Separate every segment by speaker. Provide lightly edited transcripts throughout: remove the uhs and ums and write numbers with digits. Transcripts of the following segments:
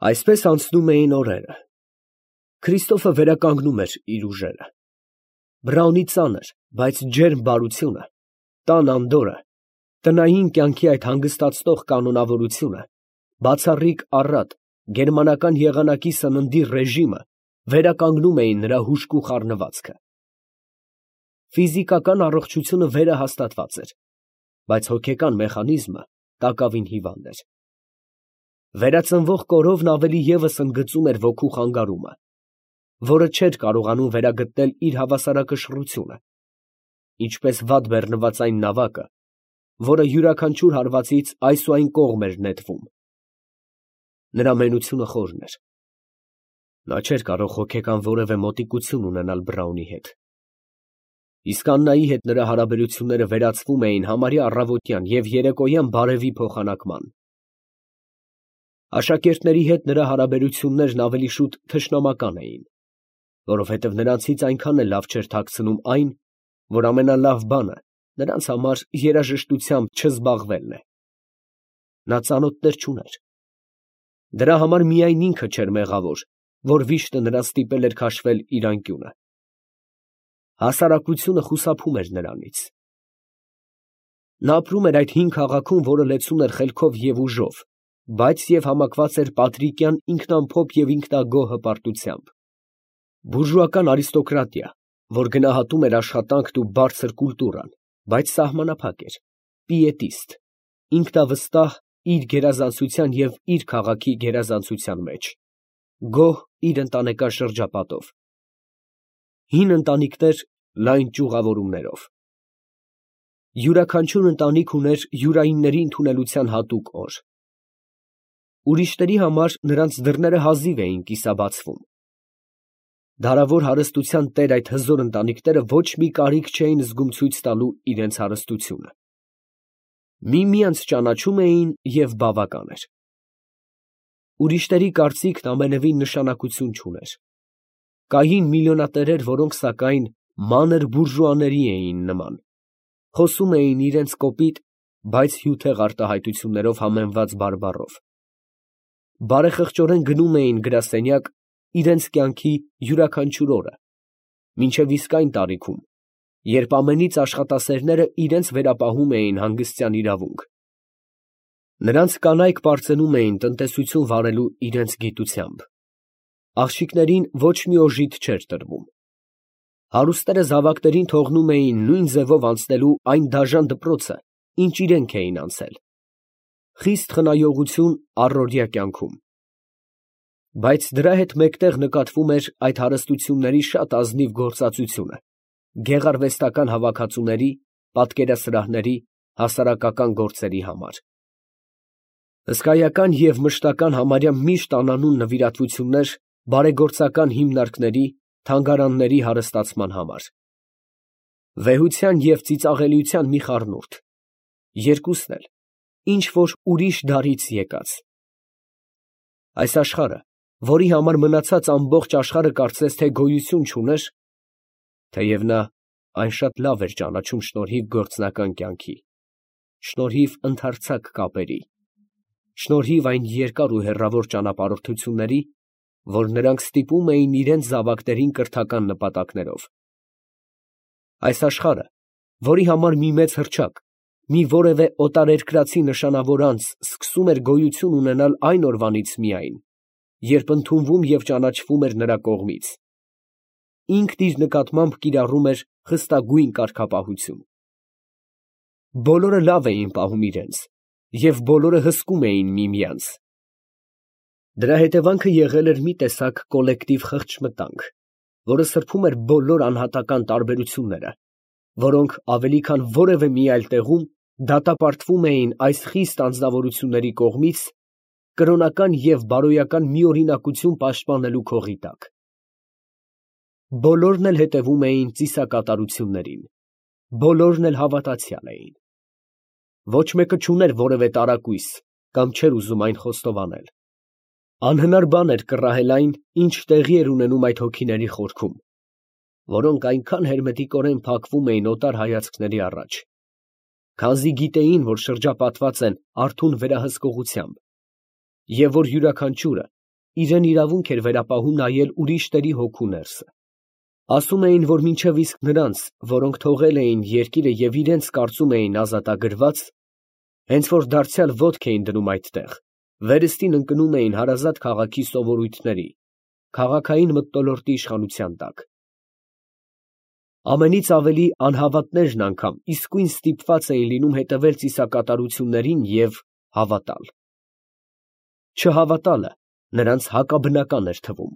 Speaker 1: Այսպես անցնում էին օրերը։ Քրիստոֆը վերականգնում էր իր ուժերը։ Բրաունի ծանր, բայց ջերմ բարությունը, տան անդորրը, տնային կյանքի այդ հանգստացնող կանոնավորությունը, բացառիկ առատ, գերմանական եղանակի սննդի ռեժիմը վերականգնում էին նրա հուժկու խառնվածքը։ Ֆիզիկական առողջությունը վերահաստատված էր, բայց հոգեկան մեխանիզմը տակավին հիվանդ էր։ Վերածնվող կորովն ավելի ևս ընդգծում էր ոգու խանգարումը, որը չէր կարողանում վերագտնել իր հավասարակշռությունը, ինչպես վատ բեռնված այն նավակը, որը յուրաքանչյուր հարվածից այս ու այն կողմ էր նետվում։ Նրա մենությունը խորն էր։ Նա չէր կարող հոգեկան որևէ մոտիկություն ունենալ Բրաունի հետ։ Իսկ Աննայի հետ նրա հարաբերությունները վերածվում էին համարյա առավոտյան և երեկոյան բարևի փոխանակման։ Աշակերտների հետ նրա հարաբերություններն ավելի շուտ թշնամական էին, որովհետև նրանցից այնքան էլ լավ չէր թաքցնում այն, որ ամենալավ բանը նրանց համար երաժշտությամբ չզբաղվելն է։ Նա ծանոթներ չուներ։ Դրա համար միայն ինքը չէր մեղավոր, որ վիշտը նրան ստիպել էր քաշվել իր անկյունը։ Հասարակությունը խուսափում էր նրանից։ Նա ապրում էր այդ հին քաղաքում, որը լեցուն էր խելքով և ուժով, բայց և համակված էր պատրիկյան ինքնամփոփ և ինքնագոհ հպարտությամբ։ Բուրժուական արիստոկրատիա, որ գնահատում էր աշխատանքն ու բարձր կուլտուրան, բայց սահմանափակ էր, պիետիստ, ինքնավստահ իր գերազանցության և իր քաղաքի գերազանցության մեջ, գոհ իր ընտանեկան շրջապատով, հին ընտանիքներ լայն ճյուղավորումներով։ Յուրաքանչյուր ընտանիք ուներ յուրայինների ընդունելության հատուկ օր։ Ուրիշների համար նրանց դռները հազիվ էին կիսաբացվում։ Դարավոր հարստության տեր այդ հզոր ընտանիքները ոչ մի կարիք չէին զգում ցույց տալու իրենց հարստությունը։ Միմյանց ճանաչում էին և բավական էր։ Ուրիշների կարծիքն ամենևին նշանակություն չուներ։ Կային միլիոնատերեր, որոնք սակայն մանր բուրժուաների էին նման, խոսում էին իրենց կոպիտ, բայց հյութեղ արտահայտություններով համեմված բարբառով։ Բարեխղճորեն գնում էին գրասենյակ իրենց կյանքի յուրաքանչյուր օրը, մինչև իսկ այն տարիքում, երբ ամենից աշխատասերները իրենց վերապահում էին հանգստյան իրավունք։ Նրանց կանայք պարծենում էին տնտեսություն վարելու իրենց գիտությամբ։ Աղջիկներին ոչ մի օժիտ չէր տրվում։ Հարուստները զավակներին թողնում էին նույն ձևով անցնելու այն դաժան դպրոցը, ինչ իրենք էին անցել։ Խիստ խնայողություն առօրյա կյանքում։ Բայց դրա հետ մեկտեղ նկատվում էր այդ հարստությունների շատ ազնիվ գործածությունը գեղարվեստական հավաքածուների, պատկերասրահների, հասարակական գործերի համար։ Հսկայական և մշտական համարյա միշտ անանուն նվիրատվություններ բարեգործական հիմնարկների, թանգարանների հարստացման համար։ Վեհության և ծիծաղելիության մի խառնուրդ, երկուսն էլ ինչ֊որ ուրիշ դարից եկած։ Այս աշխարհը, որի համար մնացած ամբողջ աշխարհը կարծես թե գոյություն չուներ, թեև նա այն շատ լավ էր ճանաչում շնորհիվ գործնական կյանքի, շնորհիվ ընդարձակ կապերի, շնորհիվ այն երկար ու հեռավոր ճանապարհորդությունների, որ նրանք ստիպում էին իրենց զավակներին կրթական նպատակներով։ Այս աշխարհը, որի համար մի մեծ հռչակ, մի որևէ օտարերկրացի նշանավոր անձ սկսում էր գոյություն ունենալ այն օրվանից միայն, երբ ընդունվում և ճանաչվում էր նրա կողմից, ինքն իր նկատմամբ կիրառում էր խստագույն կարգապահություն։ Բոլորը լավ էին պահում իրենց, և բոլորը հսկում էին միմյանց։ Դրա հետևանքը եղել էր մի տեսակ կոլեկտիվ խղճմտանք, որը սրբում էր բոլոր անհատական տարբերությունները, որոնք ավելի քան որևէ մի այլ տեղում դատապարտվում էին այս խիստ անձնավորությունների կողմից կրոնական և բարոյական միօրինակություն պաշտպանելու քողի տակ։ Բոլորն էլ հետևում էին ծիսակատարություններին, բոլորն էլ հավատացյալ էին։ Ոչ մեկը չուներ որևէ տարակույս կամ չէր ուզում այն խոստովանել։ Անհնար բան էր կռահել այն, ինչ տեղի էր ունենում այդ հոգիների խորքում, որոնք այնքան հերմետիկորեն փակվում էին օտար հայացքների առաջ, քանզի գիտեին, որ շրջապատված են արթուն վերահսկողությամբ, և որ յուրաքանչյուրը իրեն իրավունք էր վերապահում նայել ուրիշների հոգու ներսը։ Ասում էին, որ մինչև իսկ նրանց, որոնք թողել էին երկիրը և իրենց կարծում էին ազատագրված, հենց որ դարձյալ ոտք էին դնում այդտեղ, վերստին ընկնում էին հարազատ քաղաքի սովորույթների, քաղաքային մթնոլորտի իշխանության տակ։ Ամենից ավելի անհավատներն անգամ իսկույն ստիպված էին լինում հետևել ծիսակատարություններին և հավատալ։ Չհավատալը նրանց հակաբնական էր թվում։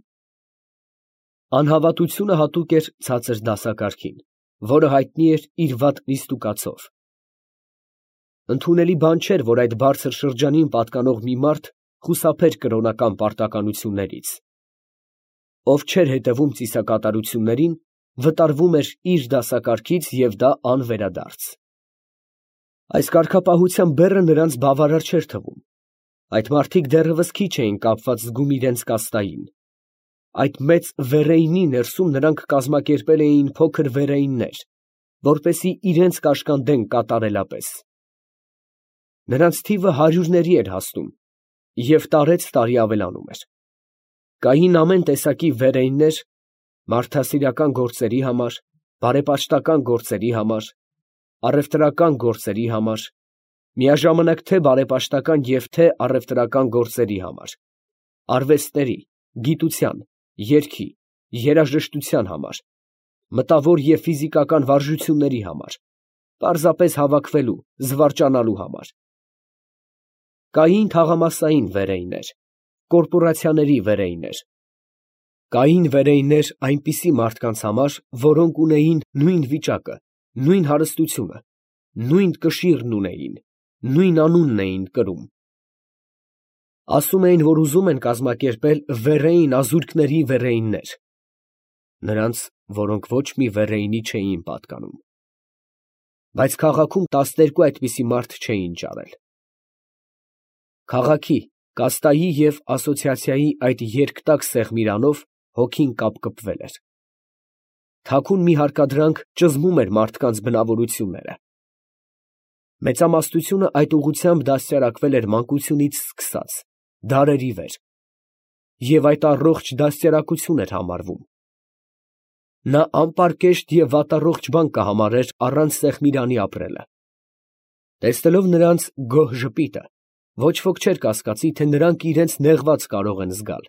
Speaker 1: Անհավատությունը հատուկ էր ցածր դասակարգին, որը հայտնի էր իր վատ նիստուկացով։ Ընդունելի բան չէր, որ այդ բարձր շրջանին պատկանող մի մարդ խուսափեր կրոնական պարտականություններից։ Ով չէր հետևում ծիսակատարություններին, վտարվում էր իր դասակարգից և դա անվերադարձ։ Այս կարգապահության բեռը նրանց բավարար չէր թվում։ Այդ մարդիկ դեռևս քիչ էին կապված զգում իրենց կաստային։ Այդ մեծ վերեյնի ներսում նրանք կազմակերպել էին փոքր վերեյններ, որպեսզի իրենց կաշկանդեն կատարելապես։ Նրանց թիվը հարյուրների էր հասնում և տարեցտարի ավելանում էր։ Կային ամեն տեսակի վերեյններ մարդասիրական գործերի համար, բարեպաշտական գործերի համար, առևտրական գործերի համար, միաժամանակ թե բարեպաշտական և թե առևտրական գործերի համար, արվեստների, գիտության, երգի, երաժշտության համար, մտավոր և ֆիզիկական վարժությունների համար, պարզապես հավաքվելու, զվարճանալու համար։ Կային թաղամասային վերեյներ, կորպորացիաների վերեյներ։ Կային վերեյներ այնպիսի մարդկանց համար, որոնք ունեին նույն վիճակը, նույն հարստությունը, նույն կշիռն ունեին, նույն անունն էին կրում։ Ասում էին, որ ուզում են կազմակերպել վերեյն ազուրկների վերեյններ, նրանց, որոնք ոչ մի վերեյնի չէին պատկանում։ Բայց քաղաքում 12 այդպիսի մարդ չէին ճարել։ Քաղաքի, կաստայի և ասոցիացիայի այդ երկտակ սեղմիրանով հոգին կապկպվել էր։ Թաքուն մի հարկադրանք ճզմում էր մարդկանց բնավորությունները։ Մեծամասնությունը այդ ուղղությամբ դաստիարակվել էր մանկությունից սկսած, դարերի վեր, և այդ առողջ դաստիարակություն էր համարվում։ Նա անպարկեշտ և վատառողջ բան կհամարեր առանց սեղմիրանի ապրելը։ Տեսնելով նրանց գոհ ժպիտը, ոչ ոք չէր կասկածի, թե նրանք իրենց նեղված կարող են զգալ։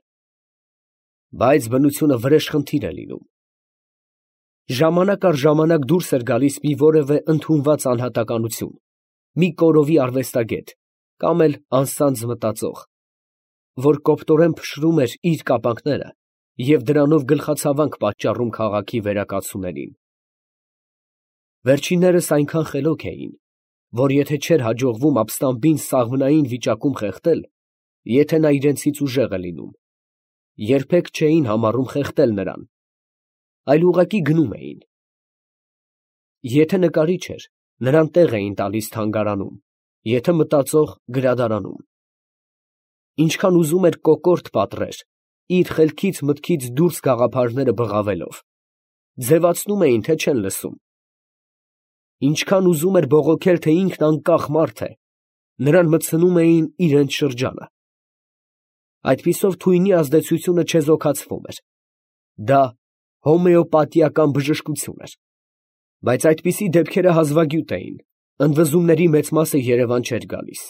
Speaker 1: Բայց բնությունը վրեժխնդիր է լինում։ Ժամանակ առ ժամանակ դուրս էր գալիս մի որևէ ընդունված անհատականություն, մի կորովի արվեստագետ կամ էլ անսանձ մտածող, որ կոպտորեն փշրում էր իր կապանքները և դրանով գլխացավանք պատճառում քաղաքի վերակացուներին։ Վերջիններս այնքան խելոք էին, որ եթե չէր հաջողվում ապստամբին սաղմնային վիճակում խեղդել, եթե նա իրենցից ուժեղ է լինում, երբեք չէին համառում խեղդել նրան, այլ ուղղակի գնում էին։ Եթե նկարիչ էր, նրան տեղ էին տալիս թանգարանում, եթե մտածող գրադարանում։ Ինչքան ուզում էր կոկորդ պատռեր, իր խելքից մտքից դուրս գաղափարները բղավելով, ձևացնում էին, թե չեն լսում։ Ինչքան ուզում էր բողոքել, թե ինքն անկախ մարդ է, նրան մտցնում էին իրենց շրջանը։ Այդպիսով թույնի ազդեցությունը չեզոքացվում էր։ Դա հոմեոպաթիական բժշկություն էր։ Բայց այդպիսի դեպքերը հազվագյուտ էին, ընդվզումների մեծ մասը Երևան չէր գալիս։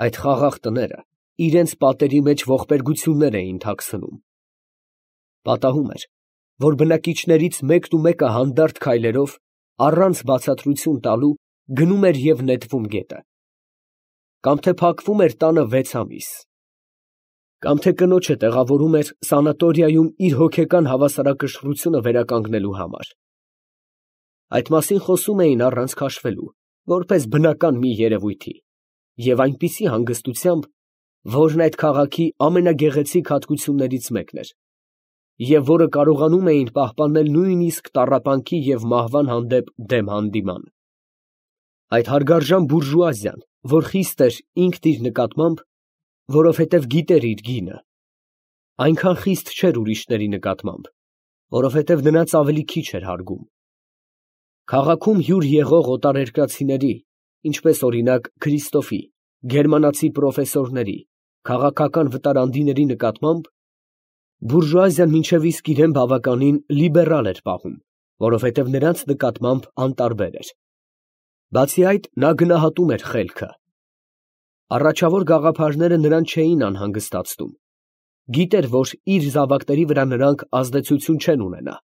Speaker 1: Այդ խաղաղ տները իրենց պատերի մեջ ողբերգություններ էին թաքցնում։ Պատահում էր, որ բնակիչներից մեկն ու մեկը հանդարտ քայլերով, առանց բացատրություն տալու, գնում էր և նետվում գետը։ Կամ թե փակվում էր տանը 6 ամիս։ Կամ թե կնոջը տեղավորում էր սանատորիայում իր հոգեկան հավասարակշռությունը վերականգնելու համար։ Այդ մասին խոսում էին առանց քաշվելու, որպես բնական մի երևույթի, և այնպիսի հանգստությամբ, որն այդ քաղաքի ամենագեղեցիկ հատկություններից մեկն էր, և որը կարողանում էին պահպանել նույնիսկ տառապանքի և մահվան հանդեպ դեմ հանդիման։ Այդ հարգարժան բուրժուազիան, որ խիստ էր ինքն իր նկատմամբ, որովհետև գիտեր իր գինը, այնքան խիստ չէր ուրիշների նկատմամբ, որովհետև նրանց ավելի քիչ էր հարգում։ Քաղաքում հյուր եղող օտարերկրացիների, ինչպես օրինակ Քրիստոֆի, գերմանացի պրոֆեսորների, քաղաքական վտարանդիների նկատմամբ, բուրժուազիան մինչև իսկ իրեն բավականին լիբերալ էր պահում, որովհետև նրանց նկատմամբ անտարբեր էր։ Բացի այդ, նա գնահատում էր խելքը։ Առաջավոր գաղափարները նրան չէին անհանգստացնում։ Գիտեր, որ իր զավակների վրա նրանք ազդեցություն չեն ունենա։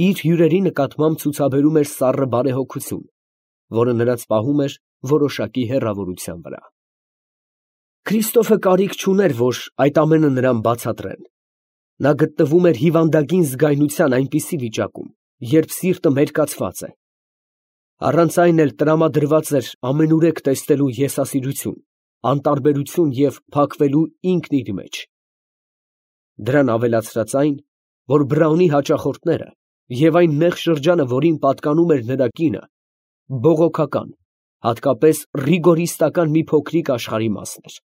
Speaker 1: Իր հյուրերի նկատմամբ ցուցաբերում էր սառը բարեհոգություն, որը նրանց պահում էր որոշակի հեռավորության վրա։ Քրիստոֆը կարիք չուներ, որ այդ ամենը նրան բացատրեն։ Նա գտնվում էր հիվանդագին զգայնության այնպիսի վիճակում, երբ սիրտը մերկացված է։ Առանց այն էլ տրամադրված էր ամենուրեք տեսնելու եսասիրություն, անտարբերություն և փակվելու ինքն իր մեջ։ Դրան ավելացրած այն, որ Բրաունի հաճախորդները և այն նեղ շրջանը, որին պատկանում էր նրա կինը, բողոքական, հատկապես ռիգորիստական մի փոքրիկ աշխարհի մասն էր։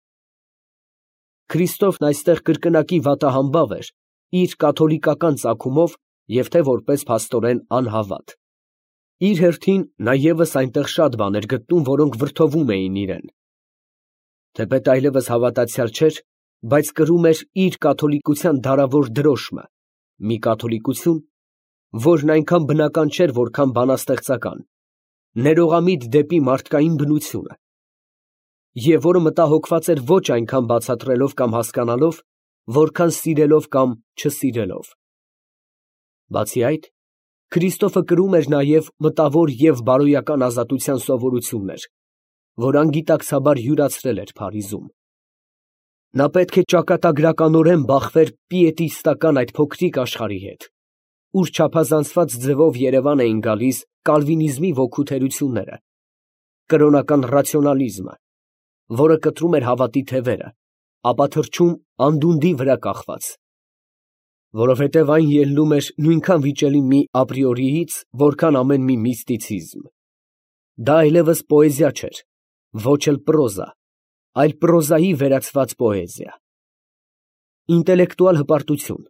Speaker 1: Քրիստոֆն այստեղ կրկնակի վատահամբավ էր իր կաթոլիկական ծագումով և թե որպես փաստորեն անհավատ։ Իր հերթին նա ևս այնտեղ շատ բան էր գտնում, որոնք վրդովում էին իրեն։ Թեպետ այլևս հավատացյալ չէր, բայց կրում էր իր կաթոլիկության դարավոր դրոշմը, մի կաթոլիկություն, որն այնքան բնական չէր, որքան բանաստեղծական, ներողամիտ դեպի մարդկային բնությունը, և որը մտահոգված էր ոչ այնքան բացատրելով կամ հասկանալով, որքան սիրելով կամ չսիրելով։ Բացի այդ, Քրիստոֆը կրում էր նաև մտավոր և բարոյական ազատության սովորություններ, որ անգիտակցաբար յուրացրել էր Փարիզում։ Նա պետք է ճակատագրականորեն բախվեր պիետիստական այդ փոքրիկ աշխարհի հետ, ուր չափազանցված ձևով երևան էին գալիս կալվինիզմի ոգու թերությունները, կրոնական ռացիոնալիզմը, որը կտրում էր հավատի թևերը, ապա թռչում անդունդի վրա կախված, որովհետև այն ելնում էր նույնքան վիճելի մի ապրիորիից, որքան ամեն մի միստիցիզմ։ Դա այլևս պոեզիա չէր, ոչ էլ պրոզա, այլ պրոզայի վերածված պոեզիա։ Ինտելեկտուալ հպարտություն,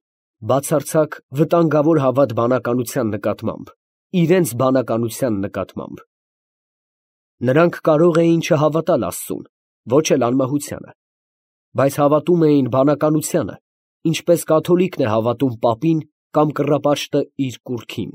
Speaker 1: բացարձակ վտանգավոր հավատ բանականության նկատմամբ, իրենց բանականության նկատմամբ։ Նրանք կարող էին չհավատալ Աստծուն, ոչ էլ անմահությանը, բայց հավատում էին բանականությանը, ինչպես կաթոլիկն է հավատում պապին կամ կռապաշտը իր կուռքին։